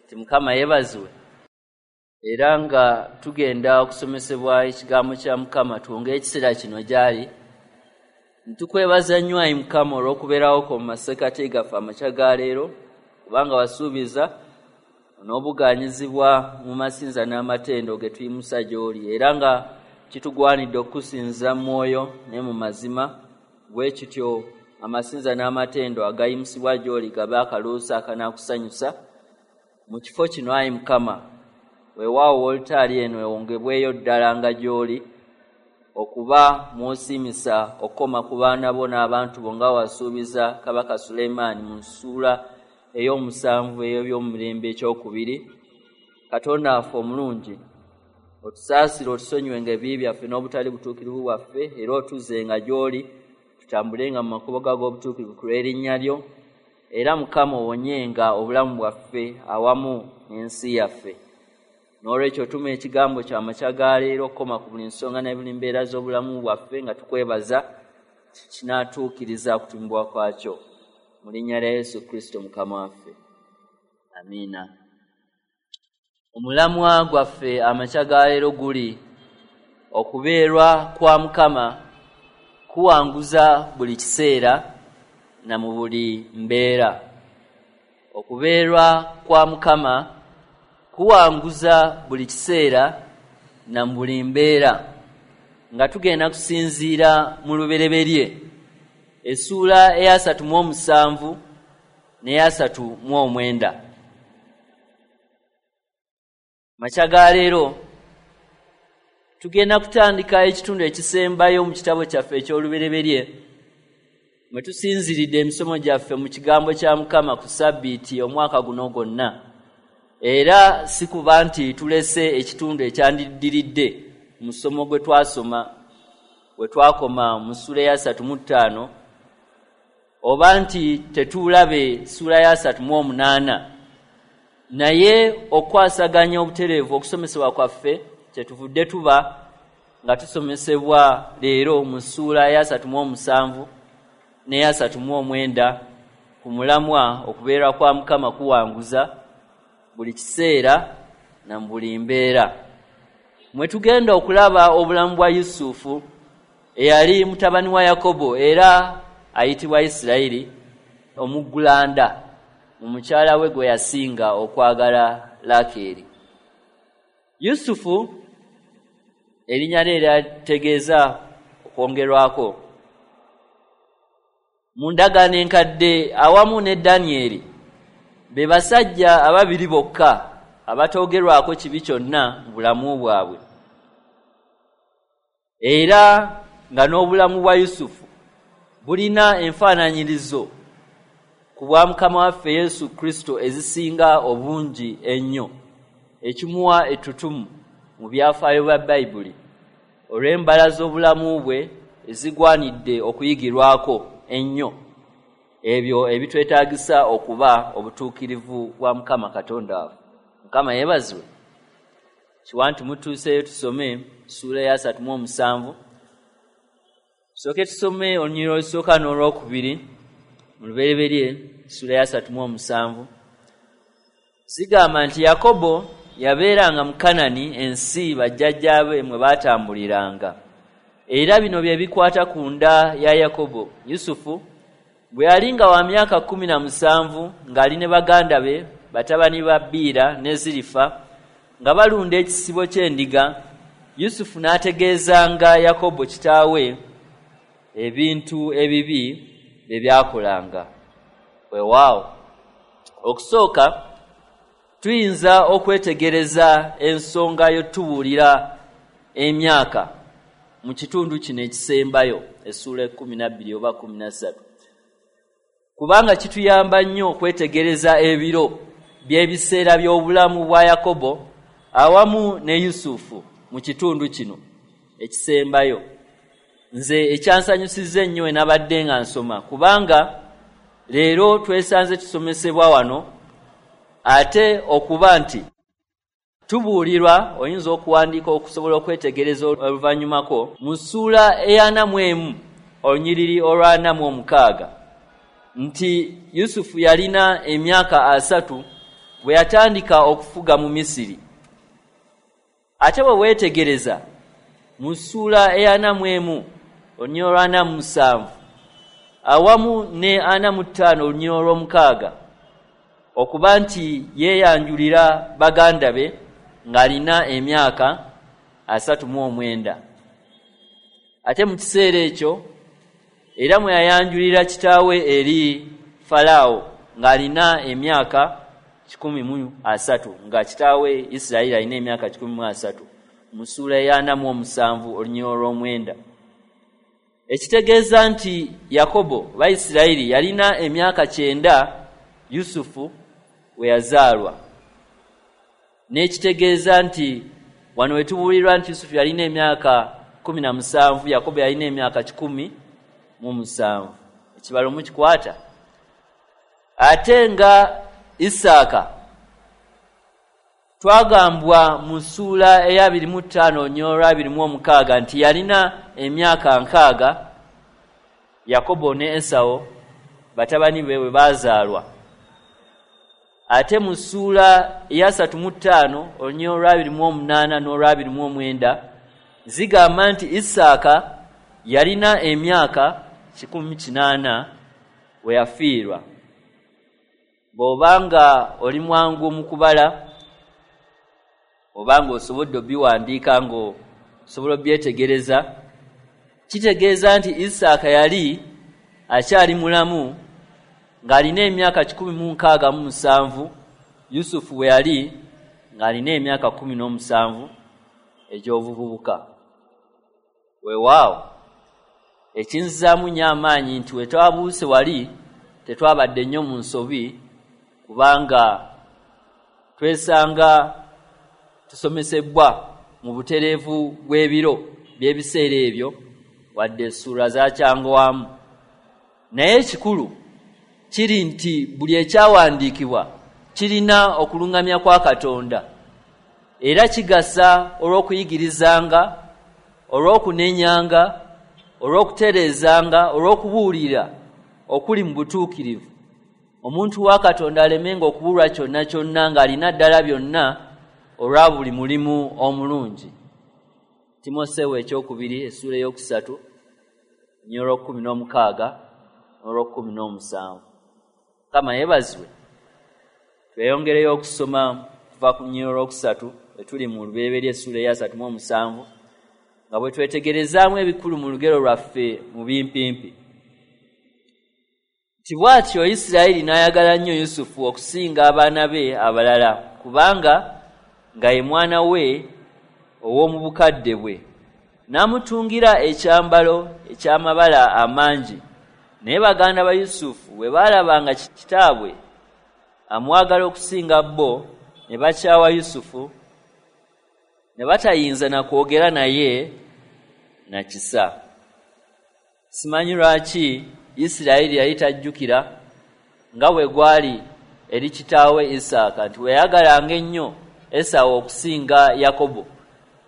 Ti Mukama yeebazibwe. Era nga tugenda okusomesebwa ekigambo kya Mukama, tuwonge ekiseera kino gy'ali. Ntukwebaza nnyo ayi Mukama olw'okubeerawo kwo mu masekkati gaffe amakya ga leero, kubanga wasuubiza n'obugaanyizibwa mu masinza n'amatendo ge tuyimusa gy'oli, era nga kitugwanidde okukusinza mu mwoyo ne mu mazima. Bwe kityo amasinza n'amatendo agayimusibwa gy'oli gabe akaloosa akanaakusanyusa mu kifo kino ayi Mukama. Weewaawo wolutaali eno ewongebweyo ddala nga gy'oli, okuba mw'osiimisa okukoma ku baana bo n'abantu bo nga wasuubiza Kabaka Sulemaani mu ssuula ey'omusanvu ey'ebyomumirembe ekyokubiri. Katonda waffe omulungi, otusaasire, otusonyiwenga ebibi byaffe n'obutali butuukirivu bwaffe, era otuzzenga gy'oli, tutambulenga mu makubo go ag'obutuukirivu ku lw'erinnya lyo, era Mukama owonyenga obulamu bwaffe awamu n'ensi yaffe. N'olwekyo tuma ekigambo kyo amakya ga leero okukoma ku buli nsonga ne buli mbeera z'obulamu bwaffe, nga tukwebaza kinaatuukiriza okutumibwa kwakyo. Mu linnya lya Yesu Kristo Mukama waffe, amiina. Omulamwa gwaffe amakya ga leero guli okubeerwa kwa Mukama kuwanguza buli kiseera na mu buli mbeera. Okubeerwa kwa Mukama kuwanguza buli kiseera na mu buli mbeera, nga tugenda kusinziira mu Lubereberye essuula eyasatu mu omusanvu n'eyasatu mu omwenda. Makya ga leero tugenda kutandika ekitundu ekisembayo mu kitabo kyaffe eky'Olubereberye, mwe tusinziridde emisomo gyaffe mu kigambo kya Mukama ku Ssabbiiti omwaka guno gwonna. Era si kuba nti tulese ekitundu ekyandiddiridde mu musomo gwe twasoma we twakoma mu ssuula eyasatu mu ttaano, oba nti tetuulabe ssuula ya 38, naye okukwasaganya obutereevu okusomesebwa kwaffe kyetuvudde tuba nga tusomesebwa leero mu ssuula ya 37 n'eya 39 ku mulamwa okubeera kwa Mukama kuwanguza buli kiseera na mu buli mbeera. Mwe tugenda okulaba obulamu bwa Yusufu eyali mutabani wa Yakobo era ayitibwa Isirayiri, omuggulanda mu mukyala we gwe yasinga okwagala, Laakeeri. Yusufu erinnya lye lyategeeza okwongerwako. Mu ndagaano enkadde awamu ne Danyeri be basajja ababiri bokka abatoogerwako kibi kyonna mu bulamu bwabwe, era nga n'obulamu bwa Yusufu bulina enfaananyirizo ku bwa Mukama waffe Yesu Kristo ezisinga obungi ennyo, ekimuwa ettutumu mu byafaayo bya Bayibuli olw'embala z'obulamu bwe ezigwanidde okuyigirwako ennyo, ebyo ebitwetaagisa okuba obutuukirivu bwa Mukama Katonda waffe. Mukama yeebazibwe. Kiwa nti mutuuseeyo, tusome ssuula ya 37. Tusooke tusome olunyiriri olusooka n'olwokubiri mu Lubereberye ssuula ya 37. Zigamba nti Yakobo yabeeranga mu Kanani, ensi bajjajjaabe mwe baatambuliranga. Era bino bye bikwata ku nda ya Yakobo. Yusufu bwe yali nga wa myaka 17, ng'ali ne baganda be, batabani ba Biira ne Zirifa, nga balunda ekisibo ky'endiga, Yusufu n'ategeezanga Yakobo kitaawe ebintu ebibi bye byakolanga. Weewaawo, okusooka tuyinza okwetegereza ensonga y'otubuulira emyaka mu kitundu kino ekisembayo, essuula 12 oba 13, kubanga kituyamba nnyo okwetegereza ebiro by'ebiseera by'obulamu bwa Yakobo awamu ne Yusufu mu kitundu kino ekisembayo. Nze ekyansanyusizza ennyo enabadde nga nsoma, kubanga leero twesanze tusomesebwa wano, ate okuba nti tubuulirwa, oyinza okuwandiika okusobola okwetegereza oluvannyumako, mu ssuula eya 41 olunyiriri olwa 46 nti Yusufu yalina emyaka 30. bwe yatandika okufuga mu Misiri. Ate bwe weetegereza mu ssuula eya 41 olunyiriri olwa 47 awamu ne 45 olunyiriri olw'omukaaga, okuba nti yeeyanjulira baganda be ng'alina emyaka 39. Ate mu kiseera ekyo era mwe yayanjulira kitaawe eri Falaawo ng'alina emyaka 130, nga kitaawe Isirayiri alina emyaka 130, mu ssuula eya 47 olunyiriri olw'omwenda. Ekitegeeza nti Yakobo oba Isirayiri yalina emyaka 90 Yusufu we yazaalwa. N'ekitegeeza nti wano we tubuulirwa nti Yusufu yalina emyaka 17, Yakobo yalina emyaka 107. Ekibalo mukikwata? Ate nga Isaaka twagambwa mu ssuula eya 25 olunyiriri olwa 26 nti yalina emyaka 60 Yakobo ne Esawo batabani be bwe baazaalwa. Ate mu ssuula eya 35 olunyiriri olwa 28 n'olwa 29 zigamba nti Isaaka yalina emyaka 180 we yafiirwa. Bw'obanga oli mwangu mu kubala, obanga osobodde obiwandiika ng'osobola obyetegereza, kitegeeza nti Isaaka yali akyali mulamu ng'alina emyaka 167 Yusufu bwe yali ng'alina emyaka 17 egy'obuvubuka. Weewaawo, ekinzizaamu nnyo amaanyi nti we twabuuse wali tetwabadde nnyo mu nsobi, kubanga twesanga tusomesebwa mu butereevu bw'ebiro by'ebiseera ebyo, wadde essuula zakyanguwamu. Naye ekikulu kiri nti buli ekyawandiikibwa kirina okuluŋŋamya kwa Katonda, era kigasa olw'okuyigirizanga, olw'okunenyanga, olw'okutereezanga, olw'okubuulira okuli mu butuukirivu, omuntu wa Katonda alemenga okubulwa kyonna kyonna ng'alina ddala byonna olwa buli mulimu omulungi. Timoseewo ekyokubiri essuula 3 olunyiriri olw'okkumi n'omukaaga n'olw'okkumi n'omusanvu. Mukama yeebazibwe. Tweyongereyo okusoma kuva ku lunyiriri olwokusatu etuli mu Lubereberye essuula eya 37, nga bwe twetegerezaamu ebikulu mu lugero lwaffe mu bimpimpi. Nti bw'atyo Isirayiri n'ayagala nnyo Yusufu okusinga abaana be abalala, kubanga nga ye mwana we ow'omu bukadde bwe. N'amutungira ekyambalo eky'amabala amangi. Naye baganda ba Yusufu bwe baalaba nga kitaabwe amwagala okusinga bo, ne bakyawa Yusufu, ne batayinza na kwogera naye na kisa. Simanyi lwaki Isirayiri yali tajjukira nga bwe gwali eri kitaawe Isaaka nti bwe yayagalanga ennyo Esawu okusinga Yakobo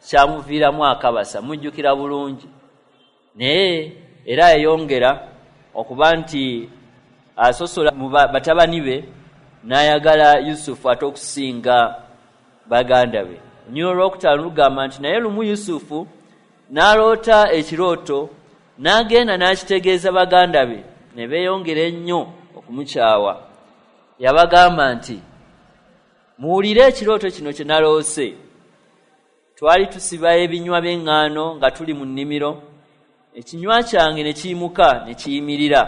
kyamuviiramu akabasa. Mujjukira bulungi. Naye era yayongera okuba nti asosola mu batabani be n'ayagala Yusufu ate okusinga baganda be. Olunyiriri olwokutaano lugamba nti naye lumu Yusufu n'aloota ekirooto, n'agenda n'akitegeeza baganda be, ne beeyongera ennyo okumukyawa. Yabagamba nti, muwulire ekirooto kino kye naloose. Twali tusiba ebinywa by'eŋŋaano nga tuli mu nnimiro, ekinywa kyange ne kiyimuka ne kiyimirira.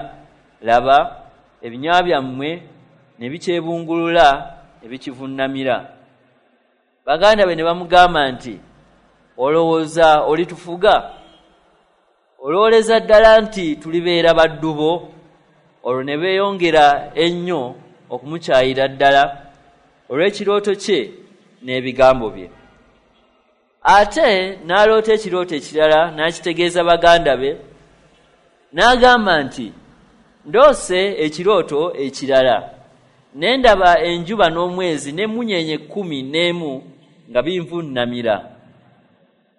Laba, ebinywa byammwe ne bikyebungulula ne bikivunnamira. Baganda be ne bamugamba nti, olowooza olitufuga? Olowooleza ddala nti tulibeera baddu bo? Olwo ne beeyongera ennyo okumukyayira ddala olw'ekirooto kye n'ebigambo bye. Ate n'aloota ekirooto ekirala n'akitegeeza baganda be, n'agamba nti, ndoose ekirooto ekirala, ne ndaba enjuba n'omwezi n'emmunyeenye 11 nga binvunnamira.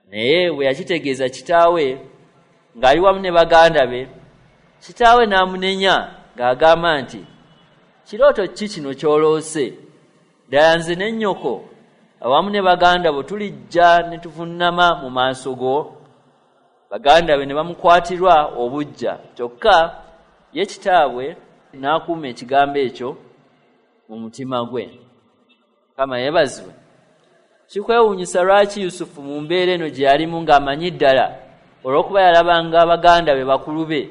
Naye bwe yakitegeeza kitaawe ng'ali wamu ne baganda be, kitaawe n'amunenya ng'agamba nti, kirooto ki kino ky'oloose? Ddala nze ne nnyoko awamu ne baganda bo tulijja ne tuvunnama mu maaso go? Baganda be ne bamukwatirwa obuggya, kyokka ye kitaabwe n'akuuma ekigambo ekyo mu mutima gwe. Mukama yeebazibwe. Kikwewuunyisa lwaki Yusufu mu mbeera eno gye yalimu ng'amanyi ddala, olw'okuba yalabanga baganda be bakulu be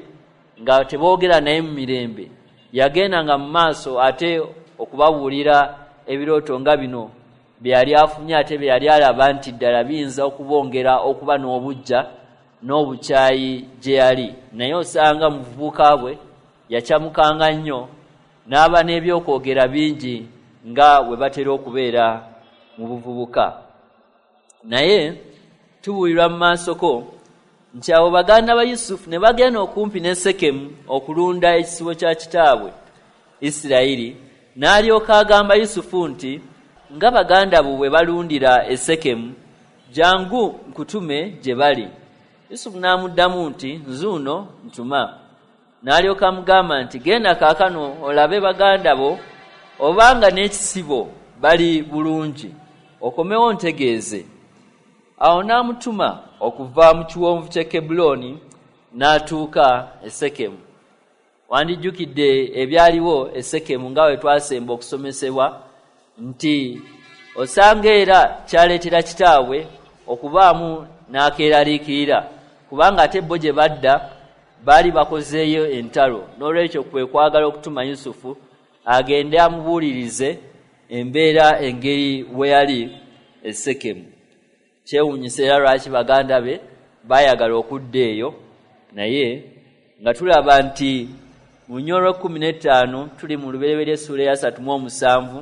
nga teboogera naye mu mirembe, yagendanga mu maaso ate okubabuulira ebirooto nga bino bye yali afunye, ate bye yali alaba nti ddala biyinza okubongera okuba n'obuggya n'obukyayi gye yali. Naye osanga mu buvubuka bwe yakyamukanga nnyo n'aba n'ebyokwogera bingi nga bwe batera okubeera mu buvubuka. Naye tubuulirwa mu maasoko nti abo baganda ba Yusufu ne bagenda okumpi ne Sekemu okulunda ekisibo kya kitaabwe Isirayiri, n'alyoka agamba Yusufu nti, Nga baganda bo bwe balundira e Sekemu, jjangu nkutume gye bali. Yusufu n'amuddamu nti, Nzuuno, ntuma. N'alyoka amugamba nti, Genda kaakano olabe baganda bo obanga n'ekisibo bali bulungi, okomewo ontegeeze. Awo n'amutuma okuva mu kiwonvu ky'e Kebbulooni n'atuuka e Sekemu. Wandijjukidde ebyaliwo e Sekemu nga bwe twasemba okusomesebwa nti osanga era kyaleetera kitaabwe okubaamu n'akeeraliikirira, kubanga ate bo gye badda baali bakozeeyo entalo, n'olwekyo kwe kwagala okutuma Yusufu agende amubuulirize embeera engeri we yali e Sekemu. Kyewuunyisa era lwaki baganda be baayagala okudda eyo, naye nga tulaba nti mu luny olw'ekkumi n'ettaano tuli mu Lubereberye essuula eyasatu mu omusanvu.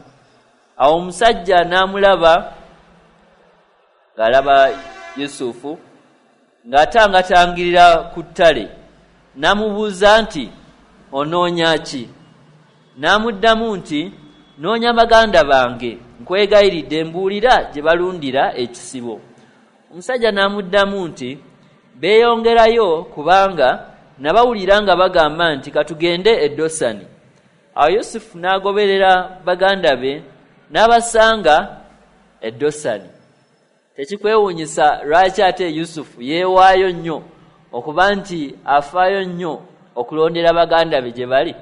Awo omusajja n'amulaba ng'alaba Yusufu ng'atangatangirira ku ttale, n'amubuuza nti, "Onoonya ki?" N'amuddamu nti, "Noonya baganda bange, nkwegayiridde mbuulira gye balundira ekisibo." Omusajja n'amuddamu nti, "Beeyongerayo, kubanga nabawulira nga bagamba nti, 'Katugende e Dosani.'" Awo Yusufu n'agoberera baganda be n'abasanga e Dosani. Tekikwewuunyisa lwaki ate Yusufu yeewaayo nnyo okuba nti afaayo nnyo okulondera baganda be gye bali?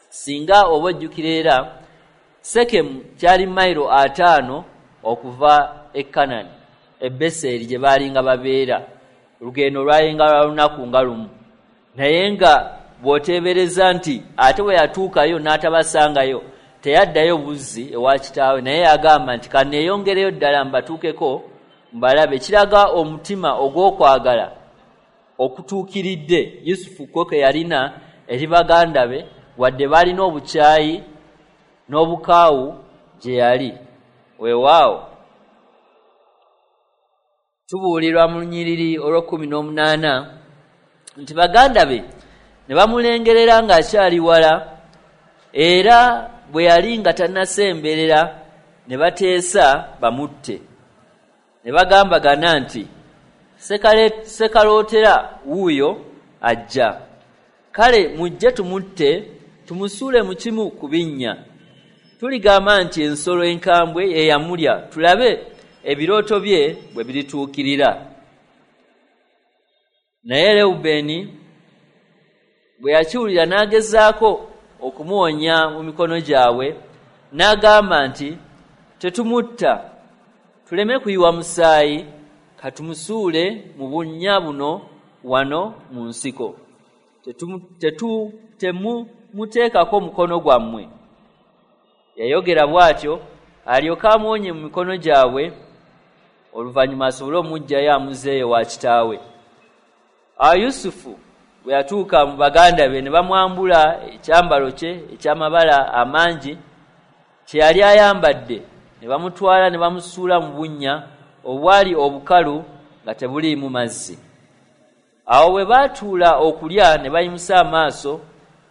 Singa oba ojjukira era, Sekemu kyali mayiro 50 okuva e Kanani, e Beseri gye baalinga babeera. Olugendo lwalinga lwa lunaku nga lumu, naye nga bw'oteebereza nti ate bwe yatuukayo n'atabasangayo, teyaddayo buzzi ewa kitaawe, naye yagamba nti, "Kanneeyongereyo ddala mbatuukeko mbalabe." Kiraga omutima ogw'okwagala okutuukiridde Yusufu kwo ke yalina eri baganda be, wadde baalina obukyayi n'obukaawu gye yali. Weewaawo tubuulirwa mu lunyiriri olw'ekkumi n'omunaana nti baganda be ne bamulengerera ng'akyali wala, era bwe yali nga tannasemberera ne bateesa bamutte. Ne bagambagana nti, "Sekalootera wuuyo ajja. Kale mujje tumutte, tumusuule mu kimu ku binnya. Tuligamba nti ensolo enkambwe ye yamulya, tulabe ebirooto bye bwe birituukirira." Naye Lewubeeni bwe yakiwulira n'agezaako okumuwonya mu mikono gyabwe, n'agamba nti, "Tetumutta, tuleme kuyiwa musaayi, katumusuule mu bunnya buno wano mu nsiko. Temumuteekako mukono gwammwe." Yayogera bw'atyo alyoke amuwonye mu mikono gyabwe, oluvannyuma asobole omuggyayo amuzzeeyo wa kitaawe. Awo Yusufu bwe yatuuka mu baganda be, ne bamwambula ekyambalo kye eky'amabala amangi kye yali ayambadde, ne bamutwala ne bamusuula mu bunnya obwali obukalu nga tebuliimu mazzi. Awo bwe baatuula okulya, ne bayimusa amaaso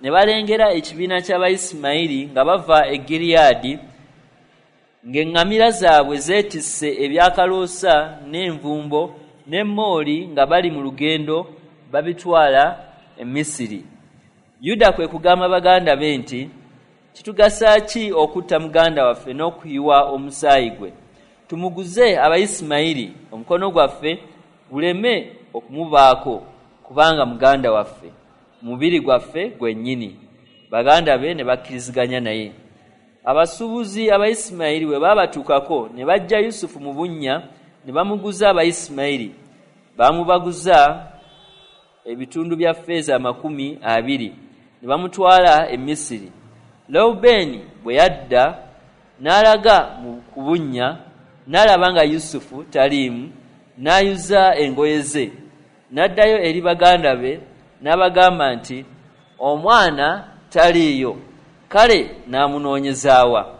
ne balengera ekibiina ky'Abayisimayiri nga bava e Giriyaadi, ng'eŋŋamira zaabwe zeetisse ebyakaloosa n'envumbo n'emmooli, nga bali mu lugendo babitwala e Misiri. Yuda kwe kugamba baganda be nti, Kitugasa ki okutta muganda waffe n'okuyiwa omusaayi gwe? Tumuguze Abayisimayiri, omukono gwaffe guleme okumubaako, kubanga muganda waffe, mubiri gwaffe gwennyini. Baganda be ne bakkiriziganya naye. Abasuubuzi Abayisimayiri bwe baabatuukako, ne baggya Yusufu mu bunnya ne bamuguza Abayisimayiri. Baamubaguza ebitundu bya ffeeza 20, ne bamutwala e Misiri. Lewubeeni bwe yadda n'alaga ku bunnya, n'alaba nga Yusufu taliimu, n'ayuza engoye ze, n'addayo eri baganda be n'abagamba nti, Omwana taliiyo, kale naamunoonyezaawa?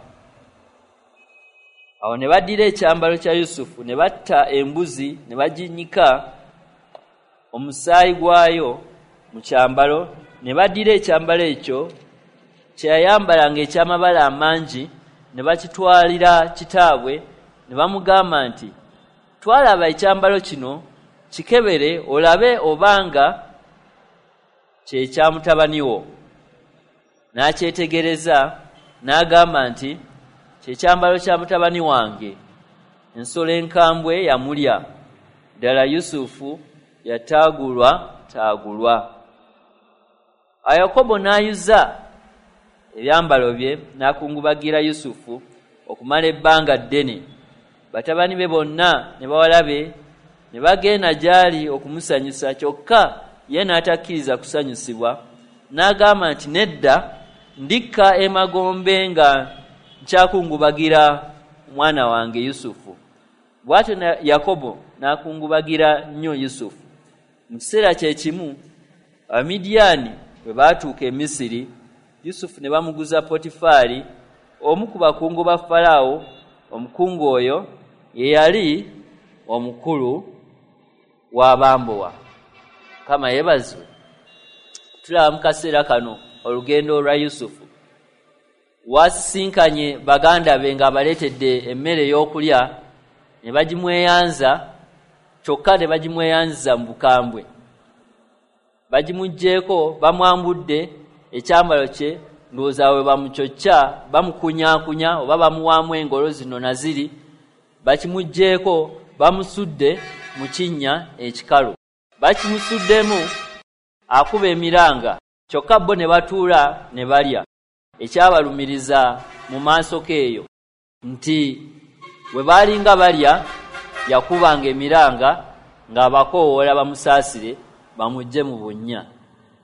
Awo ne baddira ekyambalo kya Yusufu ne batta embuzi ne baginnyika omusaayi gwayo mu kyambalo, ne baddira ekyambalo ekyo kye yayambalanga eky'amabala amangi ne bakitwalira kitaabwe ne bamugamba nti, Twalaba ekyambalo kino, kikebere olabe obanga kye kya mutabani wo. N'akyetegereza n'agamba nti, Kye kyambalo kya mutabani wange, ensolo enkambwe yamulya. Ddala Yusufu yataagulwataagulwa. Awo Yakobo n'ayuza ebyambalo bye n'akungubagira Yusufu okumala ebbanga ddene. Batabani be bonna ne bawala be ne bagenda gy'ali okumusanyusa, kyokka ye n'atakkiriza kusanyusibwa. N'agamba nti, Nedda, ndikka emagombe nga nkyakungubagira mwana wange Yusufu. Bw'atyo Yakobo n'akungubagira nnyo Yusufu. Mu kiseera kye kimu Abamidiyaani bwe baatuuka e Misiri, Yusufu ne bamuguza Potifaali, omu ku bakungu ba Falaawo, omukungu oyo ye yali omukulu w'abambowa. Mukama yeebazibwe. Tulaba mu kaseera kano olugendo olwa Yusufu. Waasisinkanye baganda be ng'abaleetedde emmere ey'okulya ne bagimweyanza, kyokka ne bagimweyanziza mu bukambwe. Bagimuggyeeko, bamwambudde ekyambalo kye, ndowooza bwe bamucocca, bamukunyaakunya oba bamuwaamu engolo zino na ziri, bakimuggyeeko, bamusudde mu kinnya ekikalu. Bakimusuddemu akuba emiranga, kyokka bo ne batuula ne balya. Ekyabalumiriza mu maasoko eyo nti bwe baalinga balya yakubanga emiranga ng'abakoowoola bamusaasire bamuggye mu bunnya.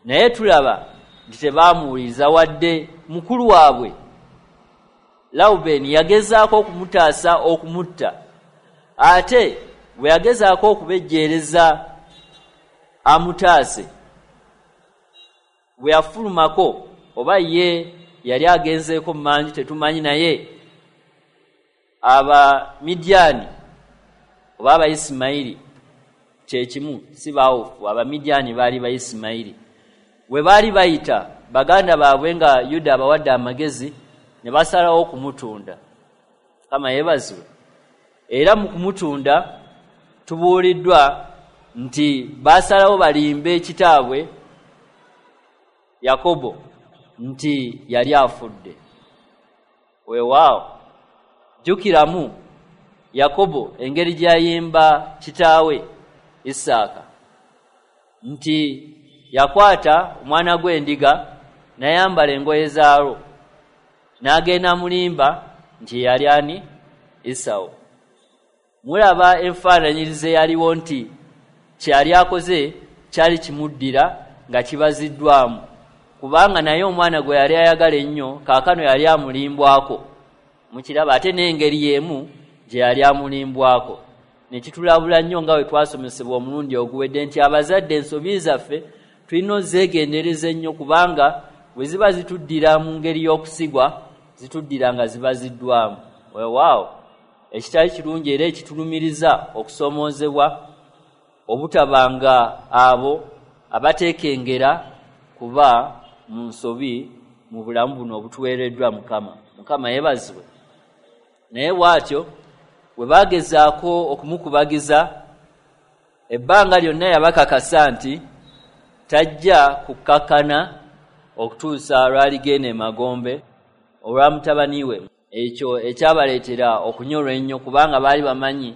Naye tulaba nti tebaamuwuliriza wadde mukulu waabwe Lawubeeni yagezaako okumutaasa okumutta, ate bwe yagezaako okubejjeereza amutaase, bwe yafulumako oba ye yali agenzeeko mmanju tetumanyi, naye Abamidiyaani oba Abayisimayiri kye kimu, si baawufu, Abamidiyaani baali Bayisimayiri. Bwe baali bayita baganda baabwe nga Yuda abawadde amagezi, ne basalawo okumutunda. Mukama yeebazibwe. Era mu kumutunda tubuuliddwa nti baasalawo balimbe kitaabwe Yakobo nti yali afudde. Weewaawo, jjukiramu Yakobo engeri gye yayimba kitaawe Isaaka nti yakwata omwana gw'endiga n'ayambala engoye zaalwo n'agenda amulimba nti yali ani? Esawu. Mulaba enfaananyiriza eyaliwo nti kye yali akoze kyali kimuddira nga kibaziddwamu, kubanga naye omwana gwe yali ayagala ennyo kaakano yali amulimbwako. Mukiraba? Ate n'engeri y'emu gye yali amulimbwako. Ne kitulabula nnyo nga bwe twasomesebwa omulundi oguwedde nti abazadde ensobi zaffe tulina ozeegendereza ennyo, kubanga bwe ziba zituddira mu ngeri y'okusigwa, zituddira nga zibaziddwamu. Weewaawo, ekitali kirungi era ekitulumiriza okusoomoozebwa obutaba nga abo abateekengera kuba mu nsobi mu bulamu buno obutuweereddwa Mukama. Mukama yeebazibwe. Naye bw'atyo bwe baagezaako okumukubagiza, ebbanga lyonna yabakakasa nti tajja kukkakkana okutuusa lw'aligenda emagombe olwa mutabani we, ekyo ekyabaleetera okunyolwa ennyo, kubanga baali bamanyi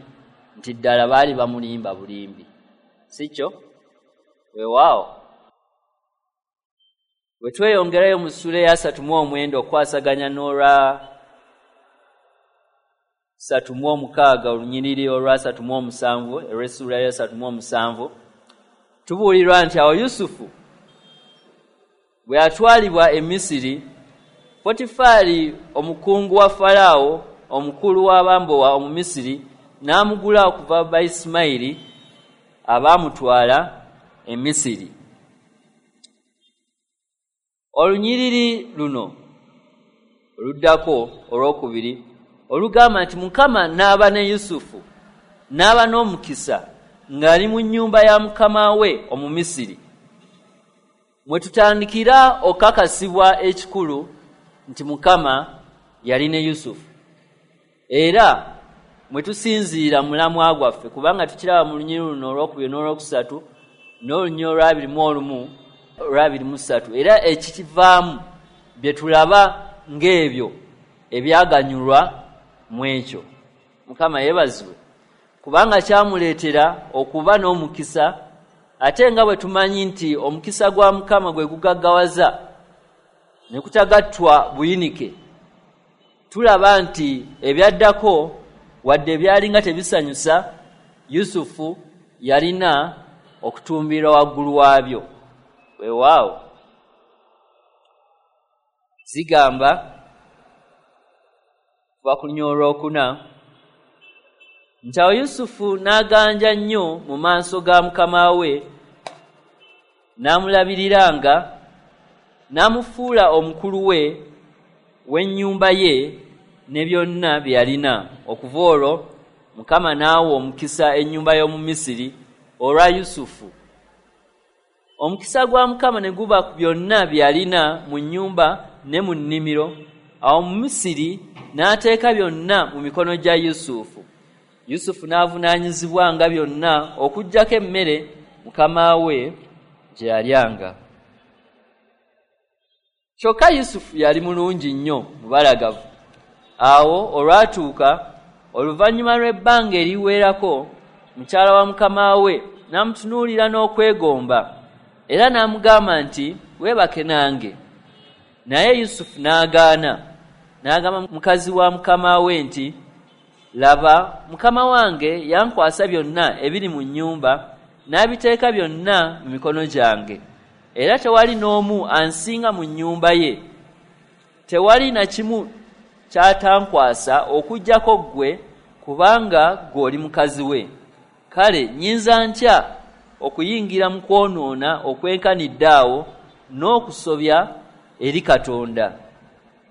nti ddala baali bamulimba bulimbi, si kyo? Weewaawo. Bwe tweyongerayo mu ssuula eya 39 okukwasaganya n'olwa 36, olunyiriri olwa 37 olw'essuula ya 37, tubuulirwa nti awo Yusufu bwe yatwalibwa e Misiri, Potifaali omukungu wa Falaawo, omukulu w'abambowa Omumisiri, n'amugula okuva Baisimayiri abaamutwala e Misiri. Olunyiriri luno oluddako olwokubiri olugamba nti Mukama n'aba ne Yusufu, n'aba n'omukisa ng'ali mu nnyumba ya mukama we Omumisiri, mwe tutandikira okakasibwa ekikulu nti Mukama yali ne Yusufu, era mwe tusinziira mulamwa gwaffe, kubanga tukiraba mu lunyiriri luno olwokubiri n'olwokusatu n'olunyiriri olwabiri mu olumu olwabiri mu ssatu, era ekikivaamu bye tulaba ng'ebyo ebyaganyulwa mu ekyo. Mukama yeebazibwe, kubanga kyamuleetera okuba n'omukisa, ate nga bwe tumanyi nti omukisa gwa Mukama gwe gugaggawaza ne kutagattwa buyinike. Tulaba nti ebyaddako, wadde byalinga tebisanyusa, Yusufu yalina okutumbira waggulu waabyo. Weewaawo, zigamba kuva ku lunyiriri olwokuna nti awo Yusufu n'aganja nnyo mu maaso ga mukama we, n'amulabiriranga, n'amufuula omukulu we w'ennyumba ye ne byonna bye yalina. Okuva olwo Mukama n'awa omukisa ennyumba y'omu Misiri olwa Yusufu. Omukisa gwa Mukama ne guba ku byonna bye yalina mu nnyumba ne mu nnimiro. Awo mu Misiri n'ateeka byonna mu mikono gya Yusufu. Yusufu n'avunaanyizibwanga byonna okuggyako emmere mukama we gye yalyanga. Kyokka Yusufu yali mulungi nnyo, mubalagavu. Awo olwatuuka, oluvannyuma lw'ebbanga eriwerako, mukyala wa mukama we n'amutunuulira n'okwegomba, era n'amugamba nti, "Weebake nange." Naye Yusufu n'agaana. N'agamba mukazi wa mukama we nti, "Laba, mukama wange yankwasa byonna ebiri mu nnyumba, n'abiteeka byonna mu mikono gyange, era tewali n'omu ansinga mu nnyumba ye. Tewali na kimu ky'atankwasa okuggyako ggwe, kubanga ggwe oli mukazi we. Kale nnyinza ntya okuyingira mu kwonoona okwenkanidde awo n'okusobya eri Katonda?"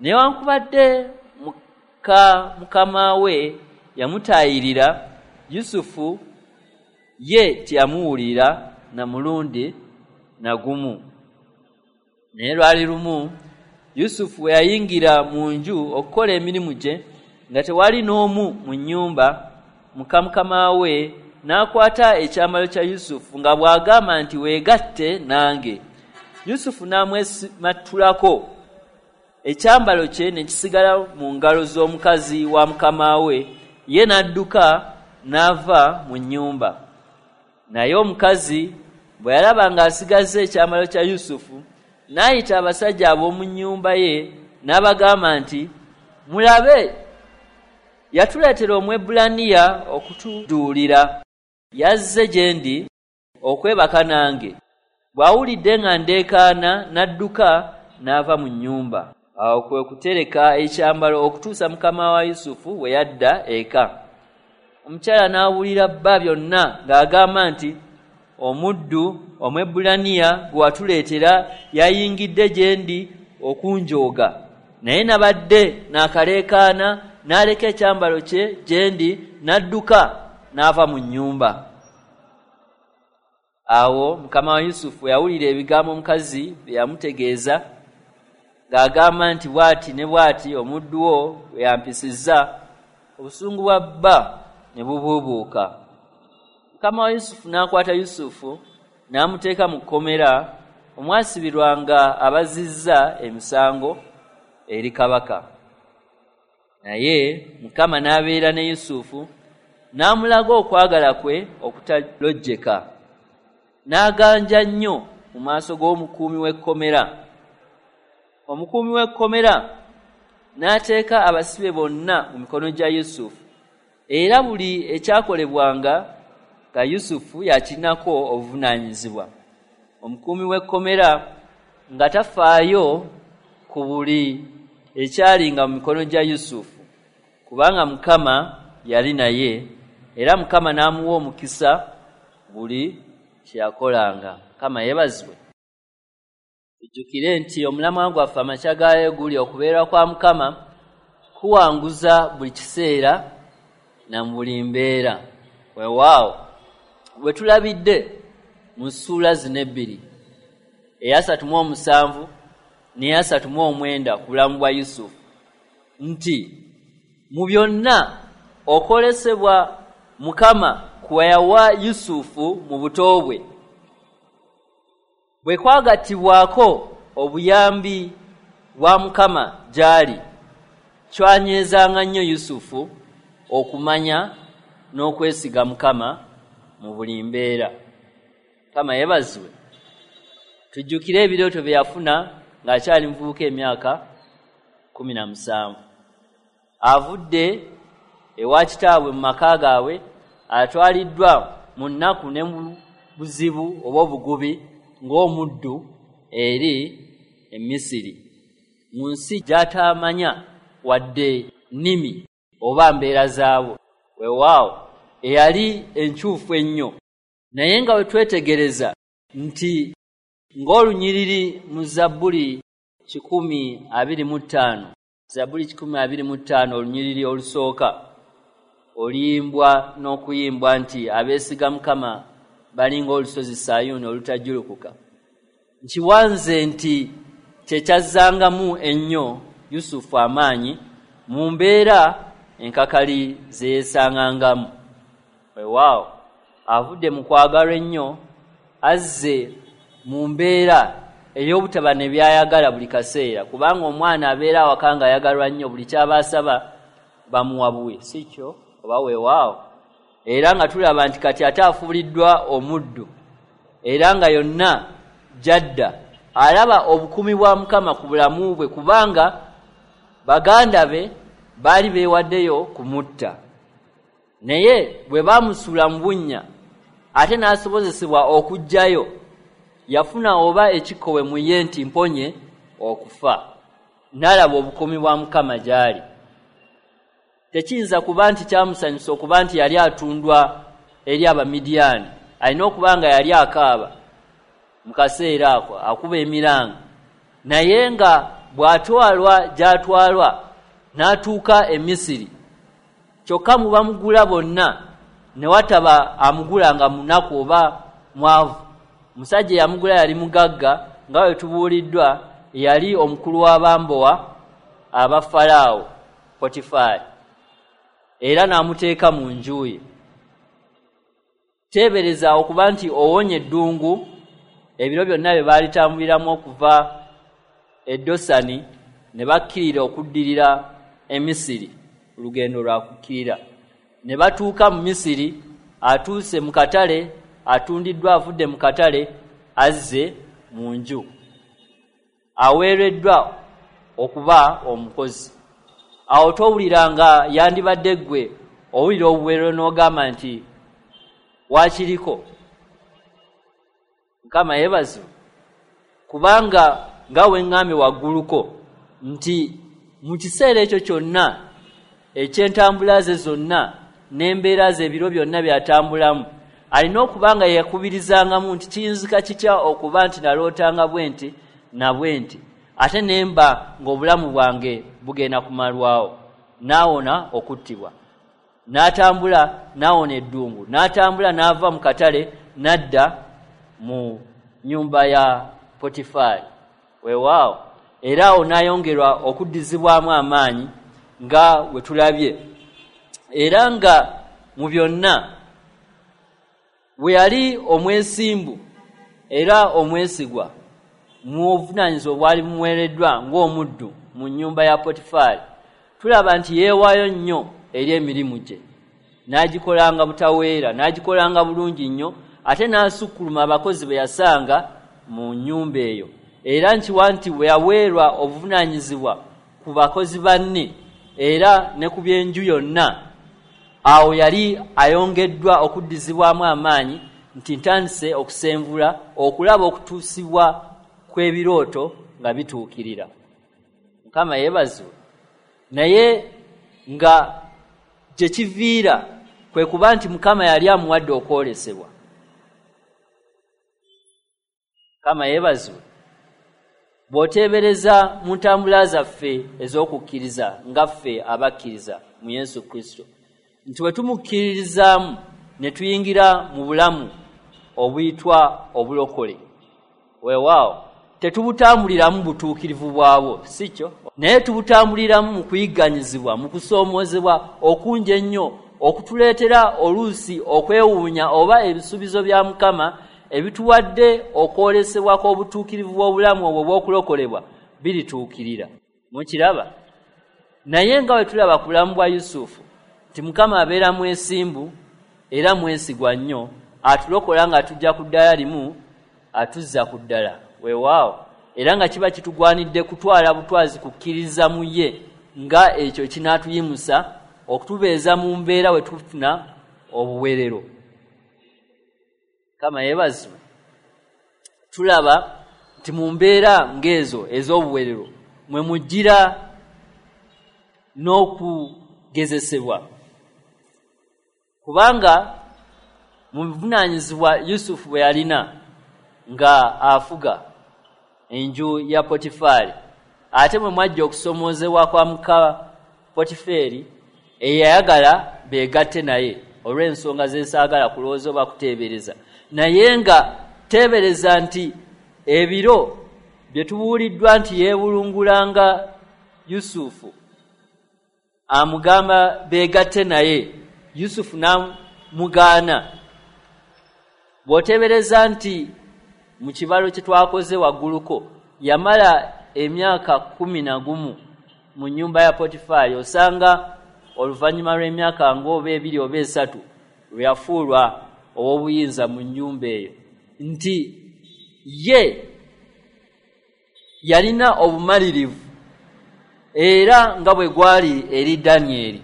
Newankubadde muka mukama we yamutaayirira, Yusufu ye teyamuwulira na mulundi na gumu. Naye lwali lumu, Yusufu bwe yayingira mu nju okukola emirimu gye, nga tewali n'omu mu nnyumba, muka mukama we n'akwata ekyambalo kya Yusufu nga bw'agamba nti, "Weegatte nange." Yusufu n'amwesimattulako, ekyambalo kye ne kisigala mu ngalo z'omukazi wa mukama we, ye n'adduka n'ava mu nnyumba. Naye omukazi bwe yalaba ng'asigazza ekyambalo kya Yusufu, n'ayita abasajja ab'omu nnyumba ye n'abagamba nti, "Mulabe, yatuleetera Omwebbulaniya okutuduulira. Yazze gye ndi okwebaka nange. Bw'awulidde nga ndeekaana, n'adduka n'ava mu nnyumba." Awo kwe kutereka ekyambalo okutuusa mukama wa Yusufu bwe yadda eka. Omukyala n'abuulira bba byonna ng'agamba nti, "Omuddu Omwebbulaniya gwe watuleetera yayingidde gye ndi okunjooga, naye nabadde naakaleekaana, n'aleka ekyambalo kye gye ndi, n'adduka n'ava mu nnyumba." Awo mukama wa Yusufu yawulira ebigambo omukazi bye yamutegeeza ng'agamba nti, "Bw'ati ne bw'ati omuddu wo bwe yampisizza," obusungu bwa bba ne bubuubuuka. Mukama wa Yusufu n'akwata Yusufu n'amuteeka mu kkomera omwasibirwanga abazizza emisango. eri kabaka. Naye Mukama n'abeera ne Yusufu, n'amulaga okwagala kwe okutalojjeka, n'aganja nnyo mu maaso g'omukuumi w'ekkomera. Omukuumi w'ekkomera n'ateeka abasibe bonna mu mikono gya Yusufu, era buli ekyakolebwanga nga Yusufu yakirinako obuvunaanyizibwa. Omukuumi w'ekkomera nga tafaayo ku buli ekyalinga mu mikono gya Yusufu, kubanga Mukama yali naye, era Mukama n'amuwa omukisa buli kye yakolanga. Mukama yeebazibwe. Tujjukire nti omulamwa gwaffe amakya gaayo guli okubeera kwa Mukama kuwanguza buli kiseera na mu buli mbeera. Weewaawo bwe tulabidde mu ssuula zino ebbiri, eya 37 n'eya 39, ku bulamu bwa Yusufu, nti mu byonna okwolesebwa Mukama kwe yawa Yusufu mu buto bwe bwe kwagattibwako obuyambi bwa Mukama gy'ali, kyanywezanga nnyo Yusufu okumanya n'okwesiga Mukama mu buli mbeera. Mukama yeebazibwe. Tujjukire ebirooto bye yafuna ng'akyali muvubuka, emyaka 17, avudde ewa kitaabwe mu maka gaabwe, atwaliddwa mu nnaku ne mu buzibu oba obugubi ng'omuddu eri e Misiri, mu nsi gy'atamanya wadde nnimi oba mbeera zaabwo. Weewaawo eyali enkyufu ennyo, naye nga bwe twetegereza nti ng'olunyiriri mu Zabbuli 125, Zabbuli 125, olunyiriri olusooka, oluyimbwa n'okuyimbwa nti abeesiga Mukama balinga olusozi Sayuuni olutajjulukuka. Nkiwanze nti kyekyazzangamu ennyo Yusufu amaanyi mu mbeera enkakali ze yeesangangamu. Weewaawo avudde mu kwagalwa ennyo, azze mu mbeera ey'obutaba ne byayagala buli kaseera, kubanga omwana abeera awaka nga ayagalwa nnyo, buli kyaba asaba bamuwa buwi, si kyo oba? Weewaawo era nga tulaba nti kati ate afuuliddwa omuddu, era nga yonna gy'adda alaba obukuumi bwa Mukama ku bulamu bwe, kubanga baganda be baali beewaddeyo kumutta, naye bwe baamusuula mu bunnya ate n'asobozesebwa okuggyayo, yafuna oba ekikkowe mu ye nti mponye okufa, n'alaba obukuumi bwa Mukama gy'ali. Tekiyinza kuba nti kyamusanyusa okuba nti yali atundwa eri Abamidiyaani. Alina okuba nga yali akaaba mu kaseera ako, akuba emiranga, naye nga bw'atwalwa gy'atwalwa n'atuuka e Misiri, kyokka mu bamugula bonna ne wataba amugula nga munaku oba mwavu. Musajja eyamugula yali mugagga, nga bwe tubuuliddwa yali omukulu w'abambowa aba Falaawo, Potifaali, era n'amuteeka mu nju ye. Teebereza okuba nti owonye eddungu ebiro byonna bye baalitambuliramu okuva e Dosani ne bakkirira okuddirira e Misiri, olugendo lwa kukkirira ne batuuka mu Misiri, atuuse mu katale, atundiddwa, avudde mu katale, azze mu nju, aweereddwa okuba omukozi. Awo towulira nga yandibadde ggwe owulira obuweerero n'ogamba nti waakiriko? Mukama yeebazibwe, kubanga nga weŋŋambye wagguluko nti mu kiseera ekyo kyonna eky'entambula ze zonna n'embeera ze, ebiro byonna by'atambulamu, alina okuba nga yakubirizangamu nti kiyinzika kitya okuba nti nalootanga bwe nti na bwe nti, ate ne mba ng'obulamu bwange bugenda kumalwawo? N'awona okuttibwa, n'atambula, n'awona eddungu, n'atambula, n'ava mu katale n'adda mu nnyumba ya Potifaali. Weewaawo era awo n'ayongerwa okuddizibwamu amaanyi nga we tulabye, era nga mu byonna bwe yali omwesimbu era omwesigwa mu obuvunaanyizibwa obwali bumuweereddwa ng'omuddu. mu nnyumba ya Potifaali, tulaba nti yeewaayo nnyo eri emirimu gye, n'agikolanga butaweera, n'agikolanga bulungi nnyo, ate n'asukkuluma abakozi be yasanga mu nnyumba eyo. Era nkiwa nti bwe yaweerwa obuvunaanyizibwa ku bakozi banne era ne ku by'enju yonna, awo yali ayongeddwa okuddizibwamu amaanyi nti ntandise okusenvula okulaba okutuusibwa kw'ebirooto nga bituukirira. Mukama yeebazibwe. Naye nga gye kiviira kwe kuba nti Mukama yali amuwadde okwolesebwa. Mukama yeebazibwe. Bw'oteebereza mu ntambula zaffe ez'okukkiriza nga ffe abakkiriza mu Yesu Kristo, nti bwe tumukkiririzaamu ne tuyingira mu bulamu obuyitwa obulokole, weewaawo tetubutambuliramu butuukirivu bwabwo, si kyo, naye tubutambuliramu mu kuyigganyizibwa, mu kusoomoozebwa okungi ennyo okutuleetera oluusi okwewuunya oba ebisuubizo bya Mukama ebituwadde okwolesebwa kw'obutuukirivu bw'obulamu obwo obw'okulokolebwa birituukirira. Mukiraba? Naye nga bwe tulaba ku bulamu bwa Yusufu nti Mukama abeera mwesimbu era mwesigwa nnyo, atulokola nga tujja ku ddala limu, atuzza ku ddala. Weewaawo, era nga kiba kitugwanidde kutwala butwazi kukkiriza mu ye nga ekyo kinaatuyimusa okutubeeza mu mbeera we tufuna obuwerero. Mukama yeebazibwe. Tulaba nti mu mbeera ng'ezo ez'obuwerero mwe mujjira n'okugezesebwa, kubanga mu buvunaanyizibwa Yusufu bwe yalina nga afuga enju ya Potifaali, ate mwe mwajja okusomoozebwa kwa muka Potifeeri eyayagala beegatte naye olw'ensonga zesaagala kulowooza oba kuteebereza, naye nga teebereza nti ebiro bye tubuuliddwa nti yeebulungulanga Yusufu amugamba beegatte naye, Yusufu n'amugaana. Bw'oteebereza nti mu kibalo kye twakoze wagguluko yamala emyaka 11 mu nnyumba ya Potifaali, osanga oluvannyuma lw'emyaka ng'oba 2 oba 3 lwe yafuulwa ow'obuyinza mu nnyumba eyo, nti ye yalina obumalirivu era nga bwe gwali eri Danyeri.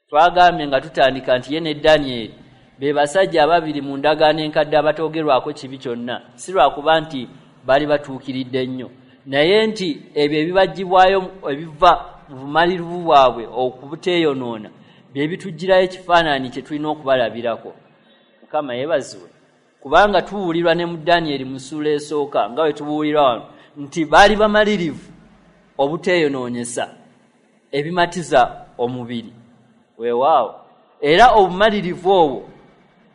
Twagambye nga tutandika nti ye ne Danyeri be basajja ababiri mu ndagaano enkadde abatoogerwako kibi kyonna, si lwakuba nti baali batuukiridde nnyo, naye nti ebyo ebibaggyibwayo ebiva mu bumalirivu bwabwe okubuteeyonoona bye bituggyirayo ekifaananyi kye tulina okubalabirako. Mukama yeebazibwe. Kubanga tubuulirwa ne mu Danyeri mu ssuula esooka nga bwe tubuulirwa wano nti baali bamalirivu obuteeyonoonyesa ebimatiza omubiri. Weewaawo, era obumalirivu obwo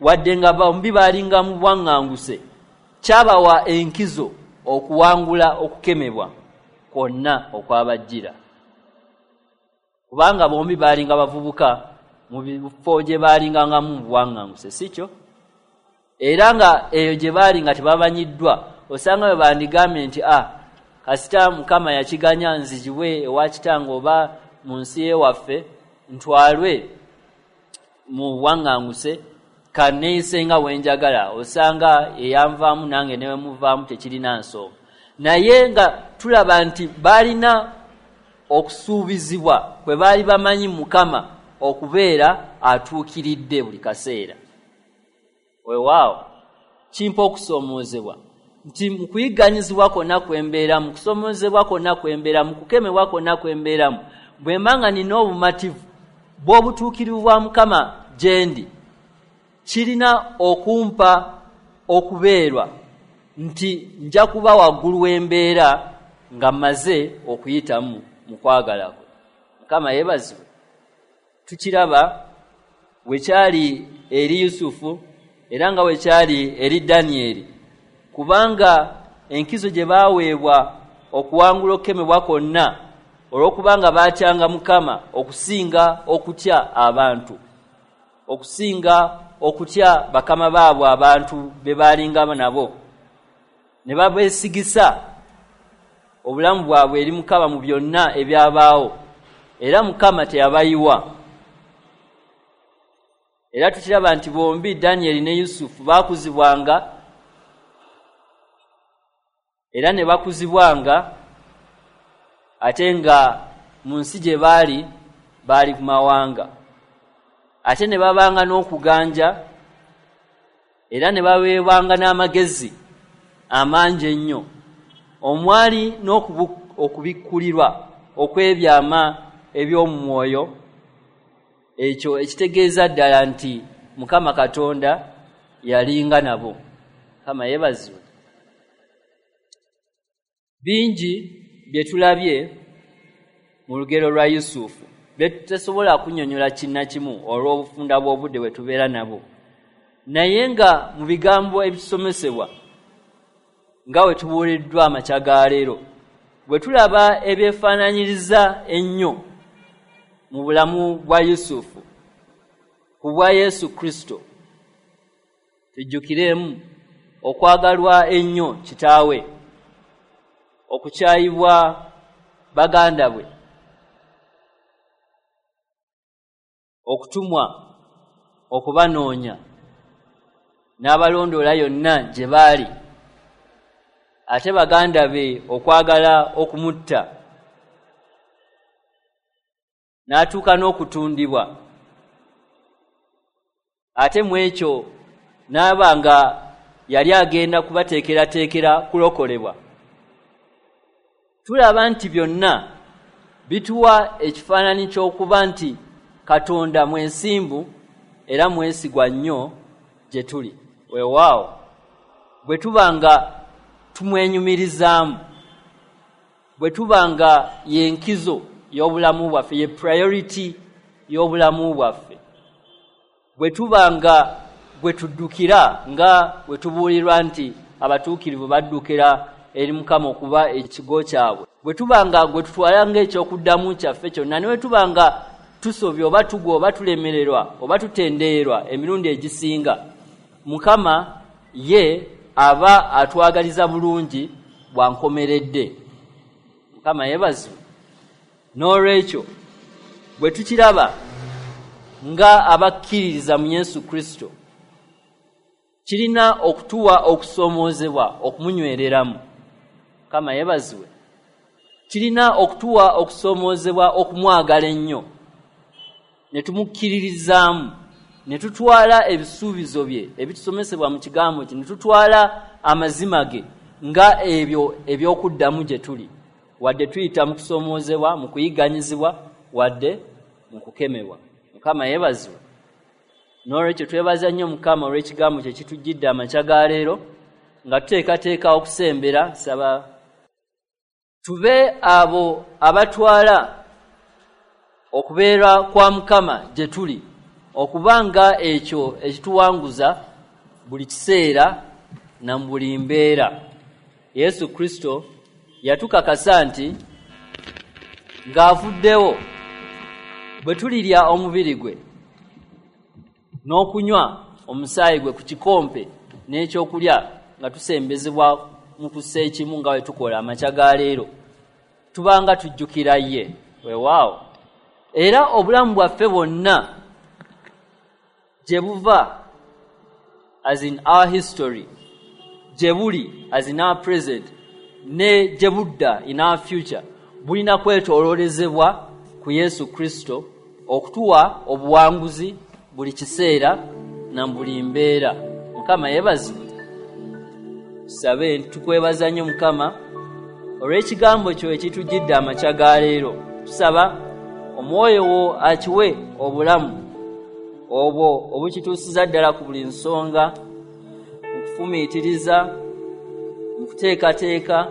wadde nga bombi baalinga mu bwaŋŋanguse, kyabawa enkizo okuwangula okukemebwa kwonna okwabajjira, kubanga bombi baalinga bavubuka mu bifo gye baalingangamu mu buwaŋŋanguse, si kyo? Era nga eyo gye baali nga tebamanyiddwa, osanga bwe bandigambye nti kasita Mukama yakiganya nzigibwe ewa kitange oba mu nsi y'ewaffe ntwalwe mu buwaŋŋanguse, kanneeyise nga bwe njagala, osanga eyanvaamu nange ne bwe muvaamu tekirina nsonga. Naye nga tulaba nti baalina okusuubizibwa kwe baali bamanyi Mukama okubeera atuukiridde buli kaseera. Weewaawo, kimpa okusoomoozebwa nti mu kuyigganyizibwa kwonna kwe mbeeramu, mu kusoomoozebwa kwonna kwe mbeeramu, mu kukemebwa kwonna kwe mbeeramu, bwe mba nga nina obumativu bw'obutuukirivu bwa Mukama gye ndi, kirina okumpa okubeerwa nti nja kuba waggulu w'embeera nga mmaze okuyitamu mu kwagala kwe. Mukama yeebazibwe. Tukiraba bwe kyali eri Yusufu era nga bwe kyali eri Danyeri, kubanga enkizo gye baaweebwa okuwangula okukemebwa kwonna olw'okubanga baatyanga Mukama okusinga okutya abantu, okusinga okutya bakama baabwe abantu be baalinga nabo, ne babeesigisa obulamu bwabwe eri Mukama mu byonna ebyabaawo, era Mukama teyabayiwa. Era tukiraba nti bombi Danyeri ne Yusufu baakuzibwanga era ne bakuzibwanga, ate nga mu nsi gye baali baali ku mawanga, ate ne babanga n'okuganja era ne baweebwanga n'amagezi amangi ennyo, omwali n'okubikkulirwa okw'ebyama eby'omwoyo, ekyo ekitegeeza ddala nti Mukama Katonda yalinga nabo. Mukama yeebazibwe. Bingi bye tulabye mu lugero lwa Yusufu bye tutasobola kunnyonnyola kinnakimu olw'obufunda bw'obudde bwe tubeera nabo, naye nga mu bigambo ebitusomesebwa nga bwe tubuuliddwa amakya ga leero, bwe tulaba ebyefaanaanyiriza ennyo mu bulamu bwa Yusufu ku bwa Yesu Kristo, tujjukiremu okwagalwa ennyo kitaawe, okukyayibwa baganda bwe, okutumwa okubanoonya n'abalondoola yonna gye baali, ate baganda be okwagala okumutta, n'atuuka n'okutundibwa, ate mu ekyo n'aba nga yali agenda kubateekerateekera kulokolebwa. Tulaba nti byonna bituwa ekifaananyi ky'okuba nti Katonda mwesimbu era mwesigwa nnyo gye tuli. Weewaawo bwe tuba nga tumwenyumirizaamu, bwe tuba nga y'enkizo y'obulamu bwaffe, ye priority y'obulamu bwaffe, bwe tuba nga bwe tuddukira nga bwe tubuulirwa nti abatuukirivu baddukira eri Mukama okuba ekigo kyabwe, bwe tuba nga gwe tutwala ng'ekyokuddamu kyaffe kyonna, ne bwe tuba nga tusobya oba tugwa oba tulemererwa oba tutendeerwa emirundi egisinga, Mukama ye aba atwagaliza bulungi bwankomeredde. Mukama yeebazibwe. N'olwekyo bwe tukiraba nga abakkiririza mu Yesu Kristo, kirina okutuwa okusoomoozebwa okumunywereramu. Mukama yeebazibwe. Kirina okutuwa okusoomoozebwa okumwagala ennyo, ne tumukkiririzaamu, ne tutwala ebisuubizo bye ebitusomesebwa mu kigambo kye, ne tutwala amazima ge nga ebyo eby'okuddamu gye tuli, wadde tuyita mu kusoomoozebwa, mu kuyigganyizibwa, wadde mu kukemebwa. Mukama yeebazibwe. N'olwekyo twebaza nnyo Mukama olw'ekigambo kye kitujjidde amakya ga leero, nga tuteekateeka okusembera. Saba tube abo abatwala okubeera kwa Mukama gye tuli okuba nga ekyo ekituwanguza buli kiseera na mu buli mbeera. Yesu Kristo yatukakasa nti ng'avuddewo bwe tulirya omubiri gwe n'okunywa omusaayi gwe ku kikompe n'ekyokulya nga tusembezebwa mu kussa ekimu nga bwe tukola amakya ga leero, tubanga tujjukira ye. Weewaawo era obulamu bwaffe bwonna gye buva, as in our history, gye buli, as in our present, ne gye budda, in our future, bulina kwetooloolezebwa ku Yesu Kristo okutuwa obuwanguzi buli kiseera na buli mbeera. Mukama yeebazibwe. Tusabe. Tukwebaza nnyo Mukama olw'ekigambo kyo ekitujjidde amakya ga leero. Tusaba omwoyo wo akiwe obulamu obwo obukituusiza ddala ku buli nsonga, mu kufumiitiriza, mu kuteekateeka,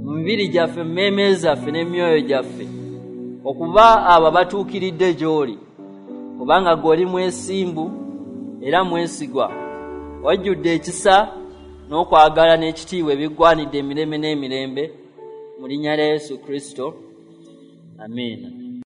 mu mibiri gyaffe, mu mmeeme zaffe n'emyoyo gyaffe, okuba abo abatuukiridde gy'oli, kubanga ggwe oli mwesimbu era mwesigwa, wajjudde ekisa n'okwagala n'ekitiibwa ebiggwanidde emirembe n'emirembe, mu linnya lya Yesu Kristo, amiina.